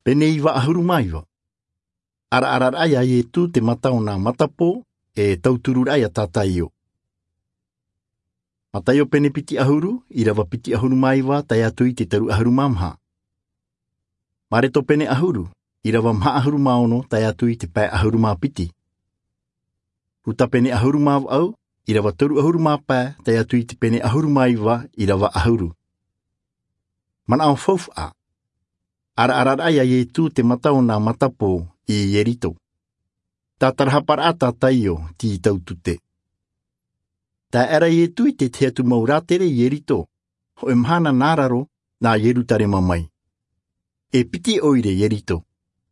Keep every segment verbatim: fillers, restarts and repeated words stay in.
Pene iva ahuru ma iva. ʻAraʻara raʻa a Ietu te mata o na matapō, ʻe tauturu raʻa a tataio. Mataio pene piti ahuru, irava piti ahuru ma iva tae atu i te taru ahuru ma maha. Mareto pene ahuru, irava maha ahuru ma ono tae atu i te pae ahuru ma piti. Ruta pene ahuru ma vaʻu, irava toru ahuru ma pae tae atu i te pene ahuru ma iva, irava ahuru. Manaʻo faufaʻa. ʻAraʻara raʻa a Ietu te mata o na matapō i Ierito. Tatarahapa raʻa a tataio ti tautute. Tae aʻera Ietu i te teatu mau rātere i Ierito, hōʻē mahana na raro na Ierutarema mai. ʻE piti ʻoire Ierito,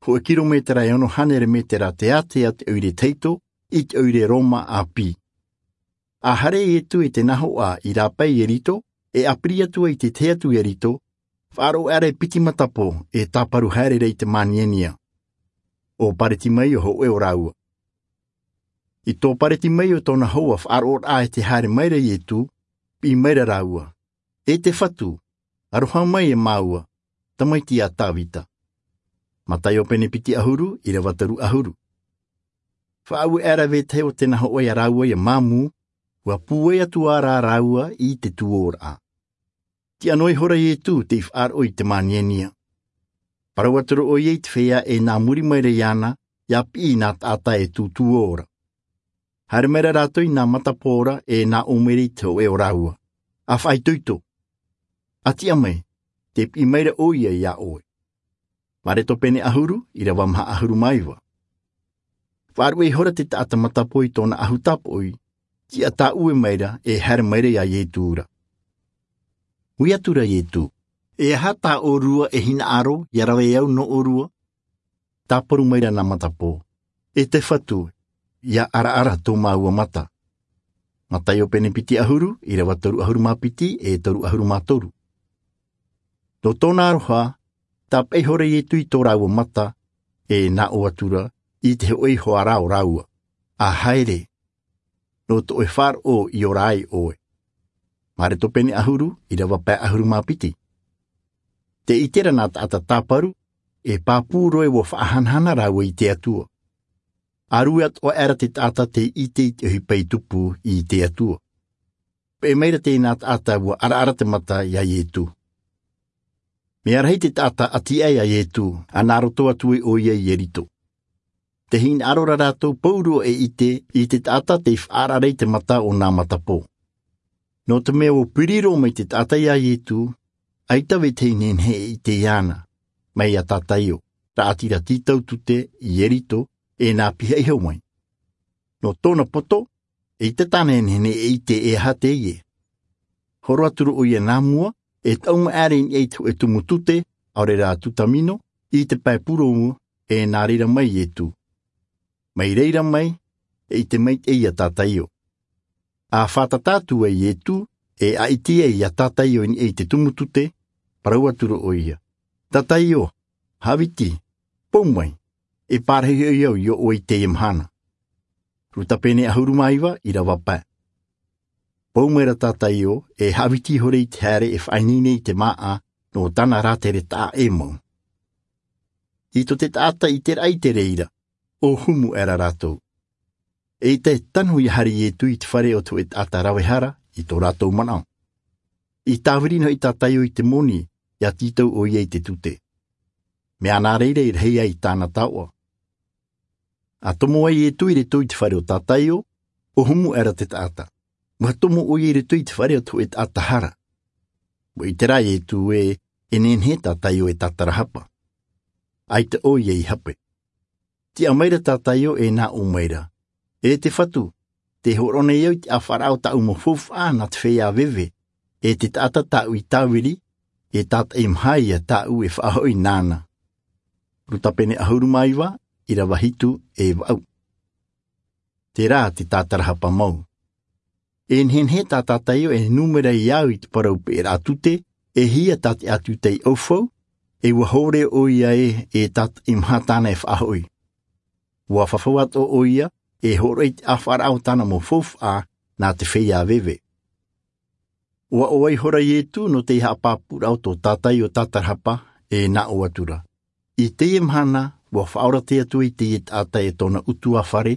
hōʻē kilometera ʻe ono hānere metera teātea te ʻoire tahito i te ʻoire Roma ʻāpī. A haere Ietu i te nahoʻa i rāpae Ierito, ʻe ʻapiri atu ai te teatu Ierito, faʻaroʻo aʻera e piti matapō ʻe tāparu haere ra i te māniania. ʻO Paretimaio hōʻē o rāua. I tō Paretimaio tōna hoa faʻaroʻo raʻa e te haere mai ra Ietu, piʻi mai ra rāua: ʻE te Fatu, aroha mai e māua, tamaiti a Tavita. Mataio pene piti ahuru, irava toru ahuru. Faʻaue aʻera vetahi o te nahoʻa ia rāua ia māmū, ʻua pūai atu ā rā rāua i te tuōraʻa. Tiʻa nō ihora Ietu tei faʻaroʻo i te māniania. Parau atu rō ʻoia i te feiā ʻe na muri mai ra iāna, ia piʻi i na taʻata ʻe tūtū ora. Haere mai ra rātou i na matapō ra ʻe na ō mai ra i te hōʻē o rāua, a faʻaitoito: A tiʻa mai, te piʻi mai ra ʻoia ia ʻoe. Mareto pene ahuru, irava maha ahuru ma iva. Faʻaruʻe ihora te taʻata matapō i tōna ʻahu tāpoʻi, tiʻa tāʻue mai ra ʻe haere mai ra ia Ietu ra. Ui atu ra Ietu: ʻE aha tā ʻōrua ʻe hinaʻaro ia rave au nō ʻōrua? Tāparu mai ra na matapō: ʻE te Fatu, ia ʻaraʻara tō māua mata. Mataio pene piti ahuru, irava toru ahuru ma piti ʻe toru ahuru ma toru. Nō tōna aroha, tāpeʻa ihora Ietu i tō rāua mata, ʻe na ʻō atu ra i te hōʻē iho ā rā o rāua: A haere, nō te ʻoe faʻaroʻo i ora ai ʻoe. Mareto pene ahuru, irava pae ahuru ma piti. Tē ʻite ra na taʻata tāparu, ʻe pāpū roe ʻua faʻahanahana rāua i te Atua. A rue atoʻa aʻera te taʻata tei ʻite i te ʻohipa i tupu i te Atua. Peʻe mai ra teie na taʻata ʻua ʻaraʻara te mata ia Ietu. Meʻa rahi te taʻata ʻati aʻe ia Ietu, ʻa na roto atu ai ʻoia i Ierito. Tē hinaʻaro ra rātou pauroa e ʻite i te taʻata tei faʻaʻaraʻara i te mata o na matapō. Nō te mea ʻua piri roa mai te taʻata ia Ietu, ʻaita vetahi nehenehe e ʻite iāna, mai ia tataio, raʻatira ti tautute i Ierito, ʻe na piha iho mai. Nō tōna poto, ʻeita tāna e nehenehe e ʻite e aha teie. Horo atu rō ʻoia nā mua, ʻe taʻu mai aʻera i niʻa i te hōʻē tumu tute, ʻaore rā tutamino, i te pae pūrōmu, ʻe na reira mai Ietu. Mai reira mai, ʻe ʻite mai teie ia tataio. A fātata atu ai Ietu, ʻe ʻaʻiti ai ia tataio i niʻa i te tumu tute, parau atu rō ʻoia: Tataio, hāviti, pou mai, ʻe parahi hoʻi au i ʻō ʻoe i teie mahana. Ruta pene ʻahuru mā iva, irava pae. Pou mai ra tataio, ʻe hāviti ihora i te haere ʻe faʻaineine i te māʻa, nō tāna rātere taʻa ʻē mau. I tō te taʻata ʻiteraʻa i te reira, ʻo humu aʻera rātou. ʻEita e tanu ia haere Ietu i te fare o te hōʻē taʻata rave hara, i tō rātou manaʻo. I tāviri nō hoʻi tataio i te moni, ia tītau ʻoia i te tute. Meʻa nā reira e rahi ai tāna taoʻa. A tomo ai Ietu i roto i te fare o tataio, ʻo humu aʻera te taʻata. ʻUa tomo ʻoia i roto i te fare o te hōʻē taʻata hara. ʻUa ʻite ra Ietu ē, e nehenehe tataio e tatarahapa. ʻAita ʻoia i hape. Tiʻa mai ra tataio ʻe na ʻō mai ra: ʻE te Fatu, tē hōroʻa nei au i te ʻāfaʻaraʻa o tāʻu mau faufaʻa nā te feiā veve, ʻe te taʻata tāʻu i tāviri, ʻe tātaʻi mahā ia tāʻu e faʻahoʻi nāna. Ruta pene ʻahuru mā iva, irava hitu ʻe vaʻu. Terā te tatarahapa mau. E nehenehe tā tataio e numera ia au i te parau peʻeraʻa tute, e hia tā te ʻātuta i ʻaufau, ʻe ʻua hōroʻa ʻoia ē, e tātaʻi mahā tāna e faʻahoʻi. ʻUa fafau atoʻa ʻoia, ʻe hōroʻa i te ʻāfaʻaraʻa o tāna mau faufaʻa nā te feiā veve. ʻUa ʻoaʻoa ihora Ietu nō tei haʻapāpūraʻa o tō tataio tatarahapa, ʻe na ʻō atu ra: I teie mahana, ua fa'aora te Atua i teie ta'ata e tō'ona 'utuafare,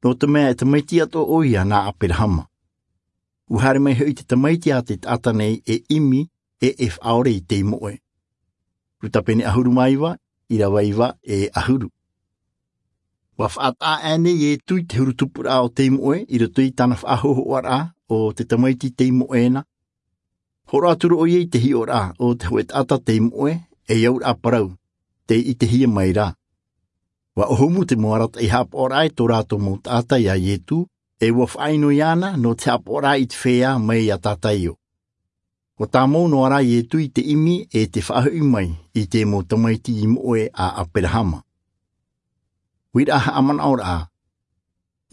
nō te me'e e tamaiti ato'a 'oia na Aperahama. Ua hare mai ho'i te tamaiti a te ta'ata nei e 'imi, 'e e fa'aore i te imo'e. Ruta pene 'ahuru mā iva, 'īrava iva 'e 'ahuru. Ua fa'ata'a a'e nei e Ietu i te huru tupura'a o te imo'e, i roto i tāna fa'ahōho'ara'a o te tamaiti te imo'e na. Hōro'a atu rō 'oia i te hi'ora'a o te hō'ē ta'ata te imo'e, 'e aura'a parau, tei 'itehia mai rā. Ua 'ohumu te mau arata'i ha'apa'ora'a e tō rātou mau ta'ata i a Ietu, 'e ua fa'ainoi iāna nō te ha'apa'ora'a i te feiā mai i a Tataio. Ua tāmau nō arā Ietu i te 'imi 'e te fa'aho'i mai i te mau tamaiti imo'e a Aperahama. Uira'a ha'amana'ora'a.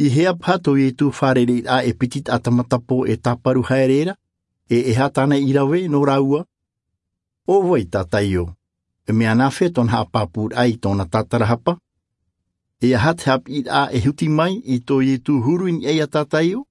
I hea paha tō Ietu fārereira'a e piti ta'ata matapo e tāparu haere ra, 'e e hā tāna i rave nō rāua? 'O vai Tataio? E me'e nafē tō'ona ha'apāpūra'a i tō'ona tātarahapa? 'E a hā te hāpīra'a e huti mai i tō Ietu huru i ni'a i a Tataio?